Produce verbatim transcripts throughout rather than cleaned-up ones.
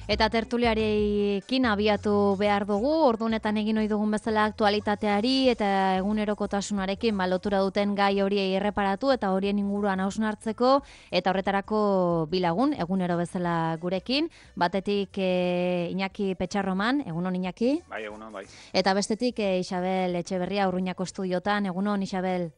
Eta tertuliarekin abiatu behar dugu, ordunetan egin ohi dugun bezala aktualitateari eta egunerokotasunarekin ba, lotura duten gai horiei erreparatu eta horien inguruan hausnartzeko, eta horretarako bilagun, egunero bezala gurekin, batetik e, Iñaki Petxarroman, egunon Iñaki? Bai, egunon, bai. Eta bestetik e, Isabel Etxeberria Urruñako estudiotan, egunon Isabel?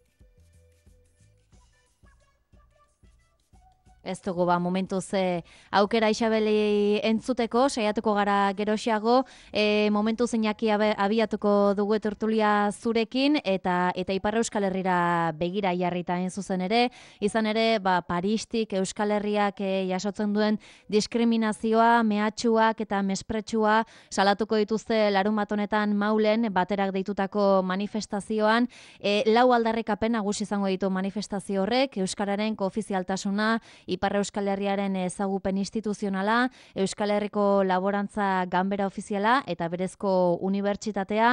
Ez dugu ba, momentuz e, aukera Isabeli entzuteko, saiatuko gara geroxiago, e, momentuz Iñaki abiatuko dugu tertulia zurekin, eta eta Ipar Euskal Herrira begira jarrita hain zuzen ere, izan ere, ba, Paristik Euskal Herriak e, jasotzen duen diskriminazioa, mehatxuak eta mespretsua salatuko dituzte larunbat honetan Maulen baterak deitutako manifestazioan, e, lau aldarrikapen nagusi izango ditu manifestazio horrek, euskararen koofizialtasuna, Ipar Euskal Herriaren ezagupen instituzionala, Euskal Herriko laborantza ganbera ofiziala eta berezko unibertsitatea,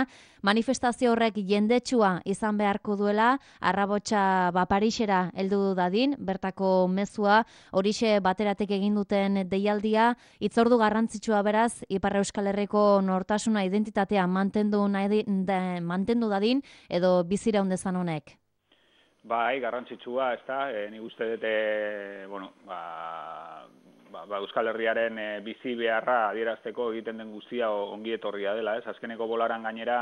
manifestazio horrek jendetsua izan beharko duela, arrabotsa ba Parisera heldu dadin, bertako mezua, horixe bateratek egin duten deialdia, hitzordu garrantzitsua beraz, Ipar Euskal Herriko nortasuna identitatea mantendu, nahi, de, mantendu dadin, edo biziraun dezan honek. Bai, garrantzitsua, ez da, e, nik uste dute, bueno, ba, ba, ba Euskal Herriaren e, bizi beharra adierazteko egiten den guztia ongi etorria dela, ez? Azkeneko bolaran gainera,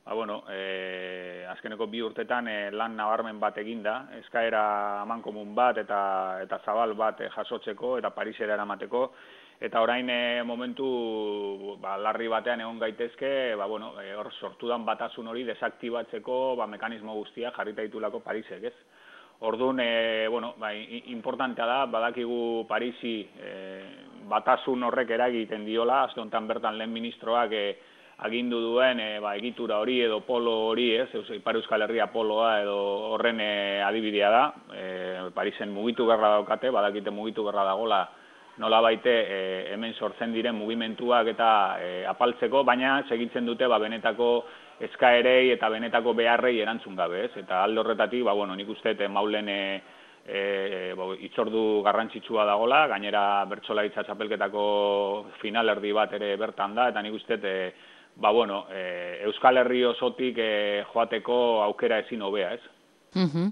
ba, bueno, e, azkeneko bi urtetan e, lan nabarmen bat eginda, eskaera amankomun bat eta eta zabal bat e, jasotzeko eta Parisera eramateko, eta orain e, momentu ba, larri batean egon gaitezke, ba, bueno, e, hor sortudan batasun hori desaktibatzeko ba, mekanismo guztia jarrita ditulako Parisek, ez? Orduan, e, bueno, ba, importantea da, badakigu Parisi e, batasun horrek eragiten diola, aste honetan bertan lehen ministroak e, agindu duen e, ba, egitura hori edo polo hori, ez? Ipar Euskal Herria poloa edo horren e, adibidea da, e, Parisen mugitu berra daukate, badakite mugitu berra dagola, nola baite e, hemen sortzen diren mugimenduak eta e, apaltzeko, baina segitzen dute ba, benetako eskaerei eta benetako beharrei erantzun gabe, ez? Eta alde horretatik, ba, bueno, nik uste Maulen e, e, bo, itzordu garrantzitsua dagola, gainera bertsolaritza txapelketako finalerdi bat ere bertan da, eta nik uste e, ba, bueno, e, Euskal Herri osotik e, joateko aukera ezin hobea, ez? Uh-huh.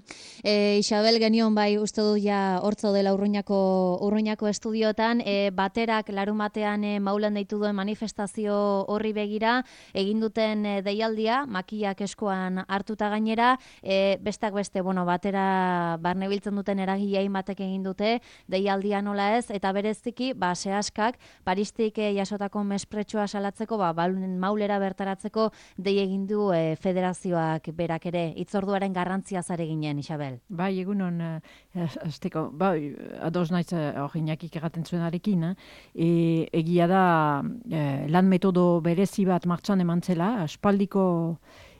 E, Isabel genion bai uste du ja hortzo dela Urruñako, Urruñako estudiotan, e, baterak larun batean e, Maulen deitu duen manifestazio horri begira, egin duten e, deialdia, makillak eskuan hartuta gainera, e, bestak beste, bueno, batera barne biltzen duten eragile hainbatek egin dute, deialdia nola ez, eta bereziki, ba, sehaskak, Paristik e, jasotako mespretsua salatzeko, ba, Maulera bertaratzeko dei egin du e, federazioak berak ere, hitzorduaren garrantzia zare ginen, Isabel. Bai, egunon, azteko, bai, ados naiz hori Iñakik erraten zuenarekin, e, egia da e, lan metodo berezi bat martxan eman zela, aspaldiko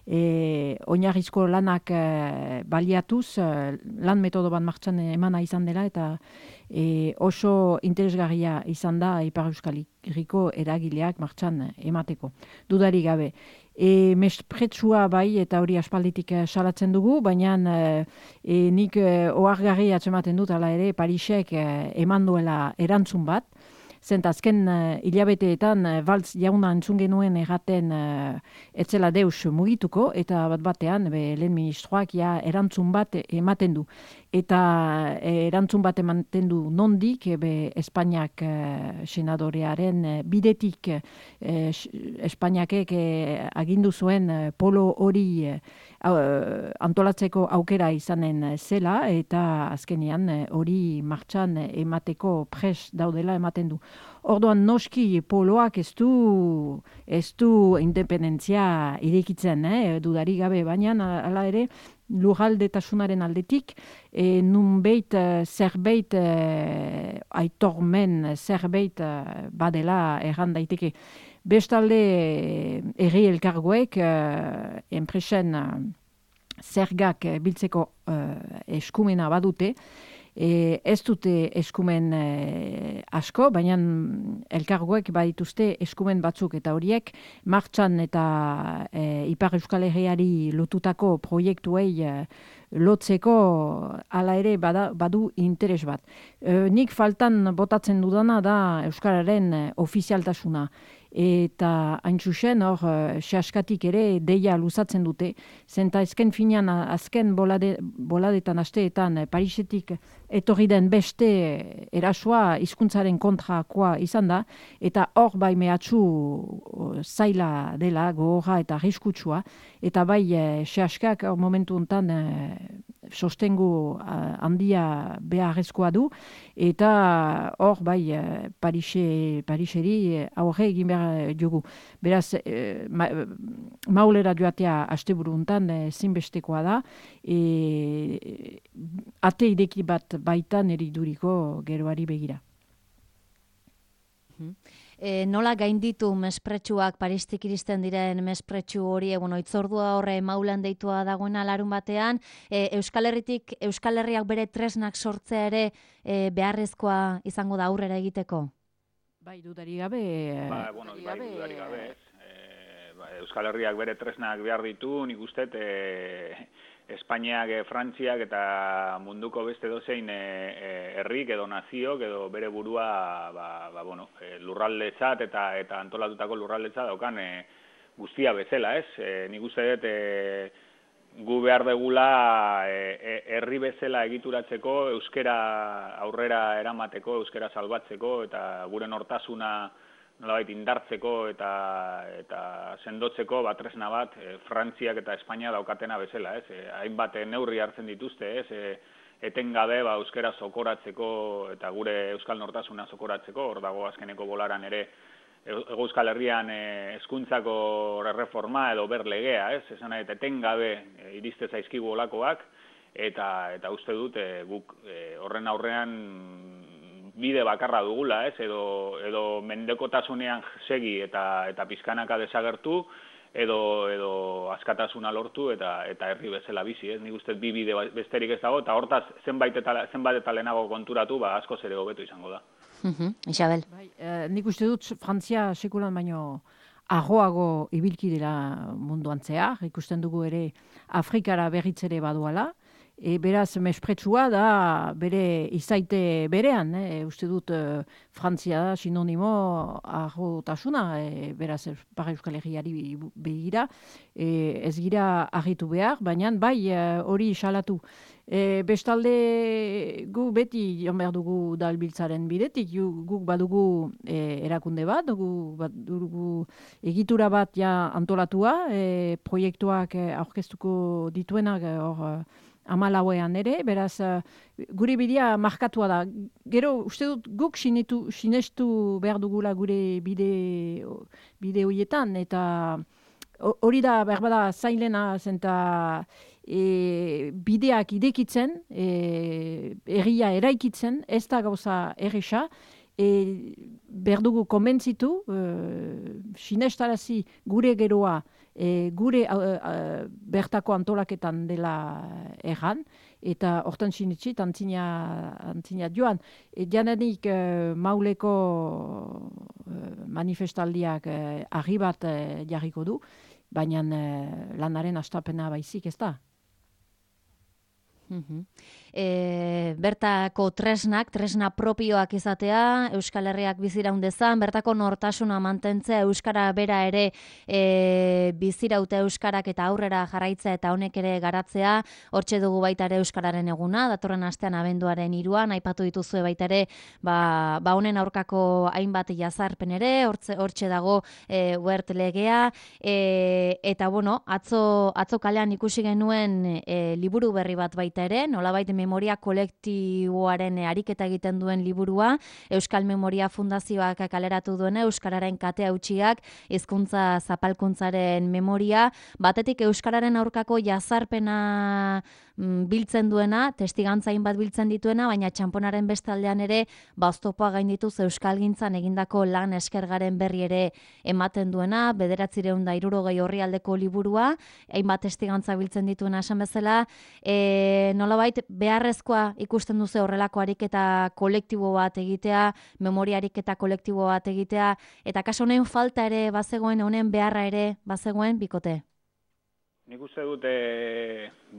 e, oinarrizko lanak e, baliatuz, e, lan metodo bat martxan emana izan dela, eta e, oso interesgarria izan da Ipar Euskal Herriko eragileak martxan emateko. Dudari gabe. E, mespretsua bai, eta hori aspalditik e, salatzen dugu, baina e, nik e, ohargarri atzematen dut, ala ere, Parisek e, eman duela erantzun bat, zent azken uh, hilabeteetan uh, Valtz jauna entzun genuen erraten uh, etzela deus mugituko, eta bat batean be, lehen ministroak ja erantzun bat ematen du. Eta e, erantzun bat ematen du nondik, be, Espainiak uh, senadorearen uh, bidetik uh, Espainiakek uh, agindu zuen uh, polo hori uh, antolatzeko aukera izanen zela, eta azkenean hori martxan emateko pres daudela ematen du. Orduan noski poloak ez du, ez du independentzia irekitzen, eh? Dudari gabe, baina hala ere lurraldetasunaren aldetik, e, nunbait zerbait e, aitormen zerbait e, badela erran daiteke. Bestalde herri elkargoek uh, enpresen uh, zergak uh, biltzeko uh, eskumena badute, e, ez dute eskumen uh, asko, baina elkargoek badituzte eskumen batzuk, eta horiek martxan eta uh, Ipar Euskal Herriari lotutako proiektuei uh, lotzeko hala ere bada, badu interes bat. E, nik faltan botatzen dudana da Euskararen ofizialtasuna. Eta hain zuzen hor sehaskatik ere deia luzatzen dute. Zenta ezken finean azken bolade, boladetan asteetan Parisetik etorri den beste erasoa hizkuntzaren kontrakoa izan da, eta hor bai mehatxu zaila dela, gogorra eta arriskutsua, eta bai sehaskak hor momentu honetan sostengu handia beharrezkoa du, eta hor bai Parise, Pariseri aurre egin behar dugu. Beraz, ma, maulera joatea asteburu honetan zinbestekoa da, e, ate ideki bat baitan eriduriko geroari begira. E, nola gainditu mespretsuak, Paristik iristen diren mespretsu hori, bueno, itzordua horre maulan deitua dagoena larun batean, e, Euskal Herritik, Euskal Herriak bere tresnak sortzea ere e, beharrezkoa izango da aurrera egiteko? Bai, dudari gabe... Ba, bueno, bai, dudari gabe, e, ba, Euskal Herriak bere tresnak behar ditu, nik uste, e, Espainiak, e, Frantziak eta munduko beste dozein e, herrik edo naziok edo bere burua ba, ba, bueno, e, lurraldetzat eta eta antolatutako lurraldetzat daukan e, guztia bezala, ez? E, nik uste dut e, gu behar degula e, herri bezala egituratzeko, euskera aurrera eramateko, euskera salbatzeko eta gure nortasuna nolabait indartzeko eta eta sendotzeko ba tresna bat e, Frantziak eta Espainia daukatena bezala, ez? E, hainbat neurri hartzen dituzte, ez? E, etengabe ba euskera zokoratzeko eta gure euskal nortasuna zokoratzeko, hor dago azkeneko bolaran ere Hego Euskal Herrian hezkuntzako e, erreforma edo berlegea, ez? Esan nahi, etengabe e, iriste zaizkigu olakoak eta eta uste dut e, guk e, horren aurrean bide bakarra dugula, ez, edo, edo mendekotasunean segi eta eta pizkanaka desagertu, edo edo askatasuna lortu eta eta herri bezala bizi, ez? Nik uste bi bide besterik ez dago, eta hortaz zenbait eta zenbait eta lehenago konturatu, ba askoz ere hobeto izango da. Mhm, Isabel. Bai, eh, nik uste dut Frantzia sekulan baino arroago ibilki dela munduan zehar, ikusten dugu ere Afrikara berritzere baduala. E, beraz, mespretsua da bere izaite berean, eh? Uste dut e, Frantzia da sinonimo arrotasuna, e, beraz, Ipar Euskal Herriari begira, e, ez gira argitu behar, baina bai hori salatu. E, bestalde gu beti joan behar dugu dalbiltzaren bidetik, guk badugu e, erakunde bat, dugu, badugu egitura bat ja antolatua, e, proiektuak e, aurkeztuko dituenak hor e, amalauean ere, beraz, uh, gure bidea markatua da. Gero, uste dut, guk sinetu, sinestu behar dugula gure bide, bide horietan, eta hori da, behar bada, zailena, zenta e, bideak idekitzen, e, erria eraikitzen, ez da gauza erresa, e, behar dugu konbentzitu, e, sinestarazi gure geroa, E, gure uh, uh, bertako antolaketan dela erran, eta hortan sinetxi, antzina, antzina joan. E, jananik uh, mauleko uh, manifestaldiak uh, argi bat uh, jarriko du, baina uh, lanaren astapena baizik ez da. Mm-hmm. E, bertako tresnak, tresna propioak izatea, Euskal Herriak biziraun dezan, bertako nortasuna mantentzea, Euskara bera ere e, bizirauta Euskarak eta aurrera jarraitzea eta honek ere garatzea, hortxe dugu baita ere Euskararen eguna, datorren astean abenduaren hiruan, aipatu dituzue baita ere, ba, ba honen aurkako hainbat jazarpen ere, hortxe, hortxe dago e, Wert legea, e, eta bueno, atzo, atzo kalean ikusi genuen e, liburu berri bat baita ere, nolabait memoria kolektiboaren ariketa egiten duen liburua, Euskal Memoria Fundazioak kaleratu duena, Euskararen kate hautsiak, hizkuntza zapalkuntzaren memoria, batetik Euskararen aurkako jazarpena biltzen duena, testigantza hainbat biltzen dituena, baina txanponaren bestaldean ere, baztopoa gaindituz Euskalgintzan egindako lan eskergaren berri ere ematen duena, bederatzireun da hirurogei orrialdeko liburua, hainbat testigantza biltzen dituena esan bezala, e, nolabait beharrezkoa ikusten duzu horrelako ariketa kolektibo bat egitea, memoria ariketa kolektibo bat egitea, eta kaso honen falta ere bazegoen, honen beharra ere bazegoen bikote? Nik uste dute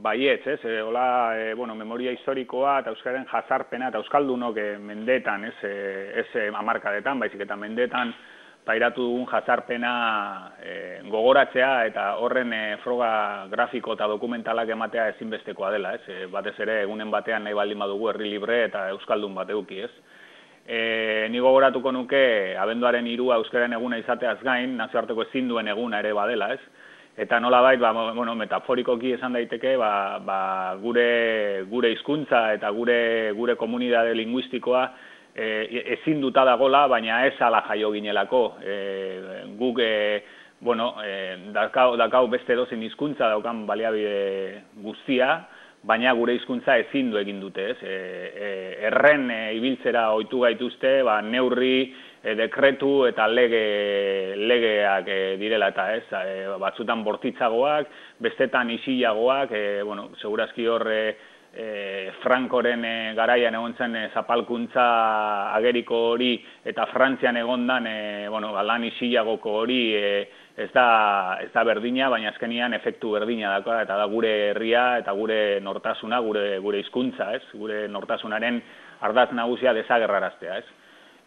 baietz, ez? E, hola, e, bueno, memoria historikoa eta euskaren jazarpena eta euskaldunok e, mendetan, ez, e, ez e, amarkadetan, baizik eta mendetan pairatu dugun jazarpena e, gogoratzea eta horren e, froga grafiko eta dokumentalak ematea ezinbestekoa dela, ez? E, batez ere egunen batean nahi baldin badugu herri libre eta euskaldun bat eduki, ez? E, ni gogoratuko nuke abenduaren hirua euskaren eguna izateaz gain, nazioarteko ezin duen eguna ere badela, ez? Eta nolabait, ba, bueno, metaforikoki esan daiteke, ba, ba, gure gure hizkuntza eta gure gure komunitate linguistikoa e, ezin duta dagola, baina ez ala jaio ginelako. E, guk e, bueno, e, dakau, dakau beste edozein hizkuntza daukan baliabide guztia, baina gure hizkuntza ezin du egin dute, ez? E, e, erren e, ibiltzera ohitu gaituzte, ba, neurri, E, dekretu eta lege, legeak e, direla eta ez, e, batzutan bortitzagoak, bestetan isilagoak, e, bueno, segurazki hor e, e, Frankoren e, garaian egon zen e, zapalkuntza ageriko hori eta Frantzian egondan e, bueno, lan isilagoko hori e, ez da, ez da berdina, baina azkenian efektu berdina dako, eta da gure herria eta gure nortasuna, gure, gure hizkuntza, ez, gure nortasunaren ardatz nagusia desagerraraztea, ez.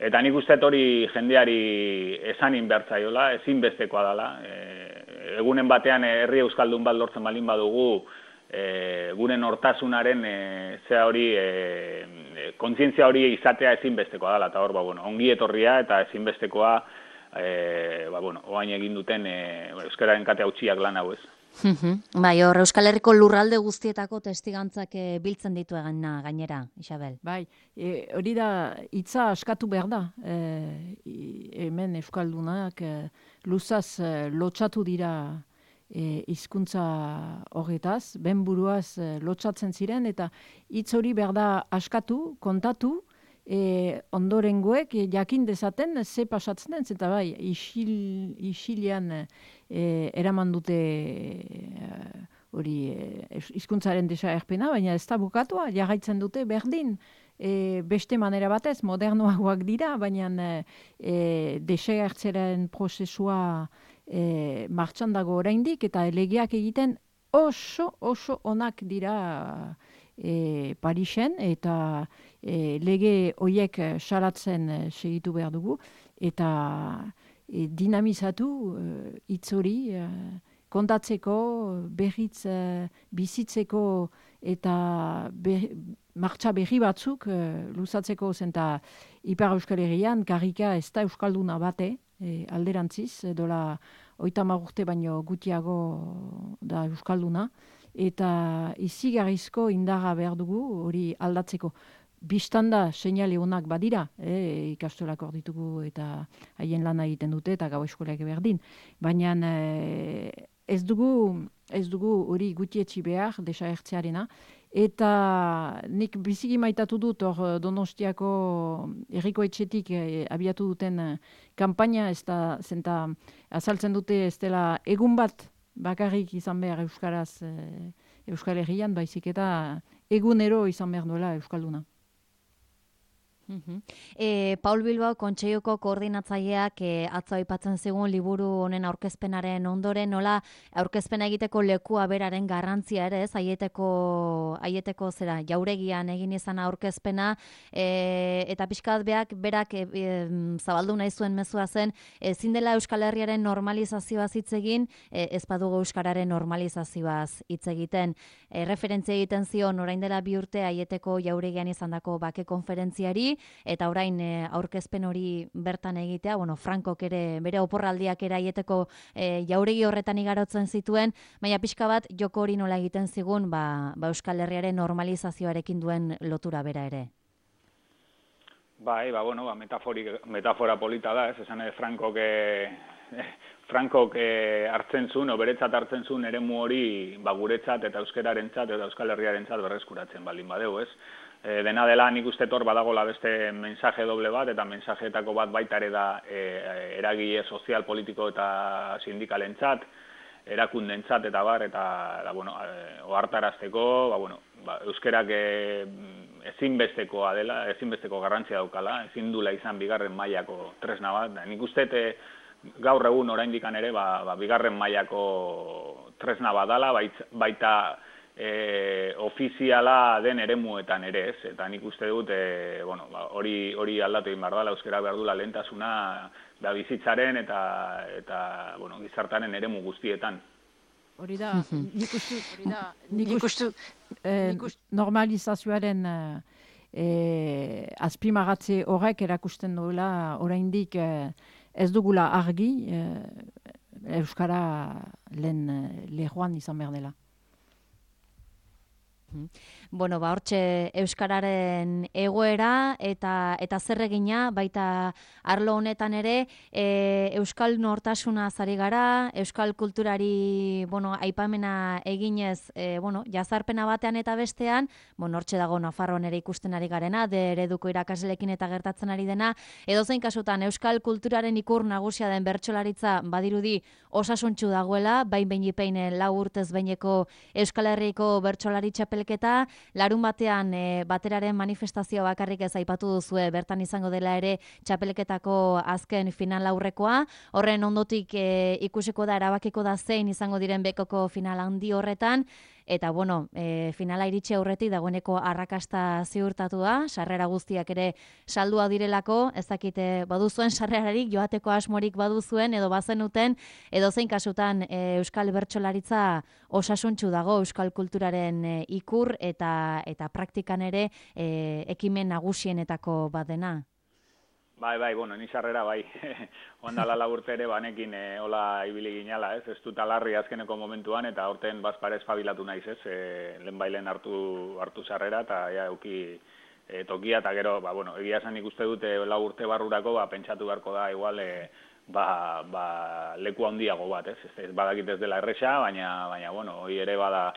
Eta nik uste hori jendeari esan inbertzaiola, ezinbestekoa dela. E, egunen batean herri euskaldun bat lortzen balin badugu, e, gure nortasunaren e, zea hori, e, kontzientzia hori izatea ezinbestekoa dela. Eta hor, ba, bueno, ongi etorria eta ezinbestekoa, e, ba, bueno, oain egin duten e, euskararen kate hautsiak lan hau ez. Bai, hor Euskal Herriko lurralde guztietako testigantzak e, biltzen ditu egana gainera, Isabel. Bai, e, hori da, hitza askatu behar da. E, hemen Euskaldunak e, luzaz e, lotxatu dira e, hizkuntza horretaz, benburuaz e, lotxatzen ziren, eta hitz hori behar da askatu, kontatu, E, ondorengoek e, jakin dezaten ze pasatzen den, eta bai, isil, isilian e, eraman dute hori e, hizkuntzaren desagerpena, baina ez da bukatua, jarraitzen dute berdin, e, beste manera batez, modernoagoak dira, baina e, desagertzeren prozesua e, martxan dago oraindik, eta legeak egiten oso, oso onak dira E, Parisen, eta e, lege horiek salatzen e, segitu behar dugu, eta e, dinamizatu hitz e, hori e, kontatzeko, berriz e, bizitzeko, eta ber, martxa berri batzuk e, luzatzeko, zenta Ipar Euskal Herrian, karrika ez da euskalduna bate, e, alderantziz, dola hogeita hamar urte baino gutiago da euskalduna, eta izigarrizko indarra behar dugu hori aldatzeko. Bistanda seinale honak badira, e, ikastolak hor ditugu eta haien lana egiten dute eta gau eskolak berdin. Baina e, ez dugu ez dugu hori gutietxi behar desagertzearena. Eta nik biziki maitatu dut hor Donostiako herriko etxetik e, abiatu duten e, kanpaina, ez da zenta azaltzen dute ez dela egun bat bakarrik izan behar euskaraz e, Euskal Herrian, baizik eta egunero izan behar duela euskalduna. E, Paul Bilbao Kontseiluko koordinatzaileak e, atzo aipatzen zigun liburu honen aurkezpenaren ondoren, nola aurkezpena egiteko lekua beraren garrantzia ere, ez aieteko, aieteko zera jauregian egin izan aurkezpena, e, eta pixkat beak berak e, e, zabaldu nahi zuen mezua zen, ezin dela Euskal Herriaren normalizazioaz hitz egin, e, ez badugu euskararen normalizazioaz hitz egiten. E, referentzia egiten zion orain dela bi urte aieteko jauregian izandako bake konferentziari, eta orain e, aurkezpen hori bertan egitea, bueno, Frankok ere bere oporraldiak ere aieteko e, jauregi horretan igarotzen zituen, baina pixka bat joko hori nola egiten zigun, ba, ba Euskal Herriaren normalizazioarekin duen lotura bera ere. Bai, ba, bueno, ba, metafora polita da, ez esan ere Frankok e, Frankok e, hartzen zuen, o beretzat hartzen zuen eremu hori ba, guretzat eta euskararentzat eta Euskal Herriarentzat berreskuratzen baldin badeu, ez? E, dena dela nik uste hor badagola beste mensaje doble bat, eta mensajeetako bat baita ere da e, eragile sozial, politiko eta sindikalentzat, erakundentzat eta bar, eta da, bueno, e, ohartarazteko, ba, bueno, ba, euskerak e, ezinbestekoa dela, ezinbesteko garrantzia daukala, ezin dula izan bigarren mailako tresna bat. Da, nik uste e, gaur egun oraindikan ere ba, ba, bigarren mailako tresna badala, baita E, ofiziala den eremuetan ere, ez? Eta nik uste dut, e, bueno, ba, hori, hori aldatu egin behar dela, euskara behar dula lehentasuna da bizitzaren eta, eta bueno, gizartaren eremu guztietan. Hori da, nik uste, hori da, nik uste, eh, normalizazioaren eh, azpimagatze horrek erakusten duela, oraindik eh, ez dugula argi, eh, euskara lehen lehoan izan behar dela. Bueno, ba, hortxe euskararen egoera eta eta zer egina baita arlo honetan ere e, euskal nortasuna zari gara, euskal kulturari, bueno, aipamena eginez, e, bueno, jazarpena batean eta bestean, bueno, hortxe dago Nafarroan ere ikusten ari garena, de ereduko irakasleekin eta gertatzen ari dena, edozein kasutan euskal kulturaren ikur nagusia den bertsolaritza badirudi osasuntsu dagoela, bain beinipein lau urtez beineko Euskal Herriko bertsolari txapelketa, larun batean e, bateraren manifestazio bakarrik ez aipatu duzue, bertan izango dela ere txapelketako azken final aurrekoa, horren ondotik e, ikusiko da, erabakiko da zein izango diren bekoko final handi horretan, eta bueno, e, finala iritsi aurretik dagoeneko arrakasta ziurtatua, sarrera guztiak ere saldua direlako, ez dakite baduzuen sarrerarik, joateko asmorik baduzuen, edo bazenuten, edo zein kasutan e, euskal bertsolaritza osasuntsu dago euskal kulturaren e, ikur eta eta praktikan ere e, ekimen nagusienetako badena. Bai, bai, bueno, ni sarrera bai, ondala laburte ere banekin e, hola ibili ginala, ez, ez dut alarri azkeneko momentuan, eta horten bazparez fabilatu naiz, ez, e, lehen bailen hartu, hartu sarrera, eta ja, euki e, tokia, eta gero, ba, bueno, egia esan ikuste dute lau urte barrurako, ba, pentsatu beharko da, igual, e, ba, ba, leku handiago bat, ez, ez, ez badakit ez dela erresa, baina, baina, bueno, hori ere bada,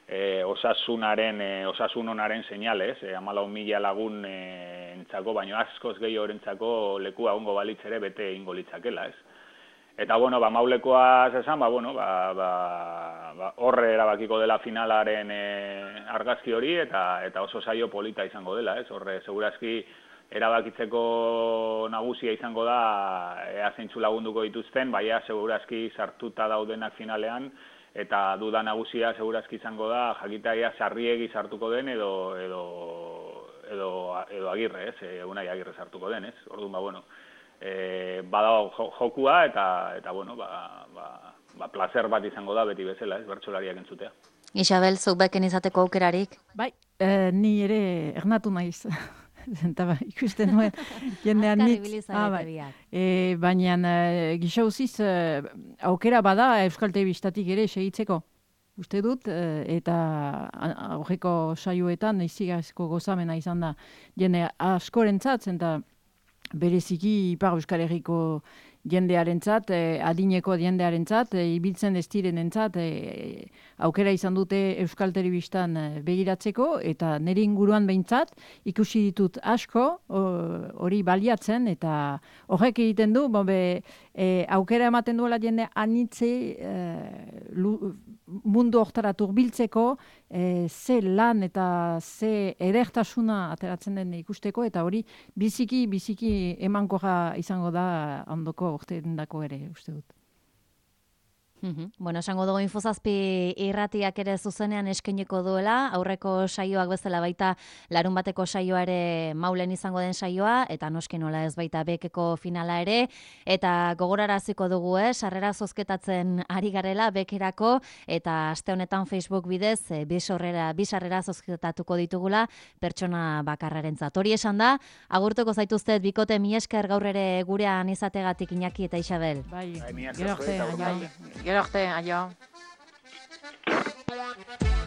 E, osasunaren, e, osasun onaren seinalez, e, hamalau mila lagun e, entzako, baino askoz gehiago entzako lekua ongo balitz ere bete ingo litzakela, ez. Eta, bueno, ba, maulekoa zesan, ba, bueno, ba, ba, ba, horre erabakiko dela finalaren e, argazki hori, eta, eta oso saio polita izango dela, ez. Horre, segurazki erabakitzeko nagusia izango da, ea zeintzu lagunduko dituzten, baina segurazki sartuta daudenak finalean, eta duda nagusia segurazki izango da jakitaia sarriegi sartuko den edo edo edo edo Agirre, ez? E, Unai Agirre sartuko den, ez? Orduan ba bueno, eh badago jokua eta eta bueno, ba ba ba placer bat izango da beti bezala, ez? Bertsolariak entzutea. Isabel, zuk beken izateko aukerarik? Bai, eh, ni ere ernatu naiz. Zenta ba, ikusten nuen jendean nitz. Ah, bai. E, baina e, gixauziz e, aukera bada Euskal Telebistatik ere segitzeko. Uste dut, e, eta aurreko saioetan izigazko gozamena izan da jende askorentzat, zenta bereziki Ipar Euskal Herriko jendearentzat, eh, adineko jendearentzat, eh, ibiltzen ez direnentzat eh, aukera izan dute Euskal Telebistan eh, begiratzeko, eta nire inguruan behintzat ikusi ditut asko hori baliatzen, eta horrek egiten du, be, eh, aukera ematen duela jende anitze eh, lu, mundu hortara turbiltzeko, eh, ze lan eta ze edertasuna ateratzen den ikusteko, eta hori biziki, biziki emankorra izango da ondoko urteendako ere, uste dut. Bueno, esango dugu Infozazpi irratiak ere zuzenean eskainiko duela, aurreko saioak bezala baita larun bateko saioa ere maulen izango den saioa, eta noski nola ez baita bekeko finala ere, eta gogoraraziko dugu, eh, sarrera zozketatzen ari garela bekerako, eta aste honetan Facebook bidez e, bi sarrera zozketatuko ditugula pertsona bakarrarentzat. Hori esan da, agurtuko zaituztet bikote mi esker gaur ere gurean izategatik Iñaki eta Isabel. Bai, bai gero arte, bai. gero arte, aio.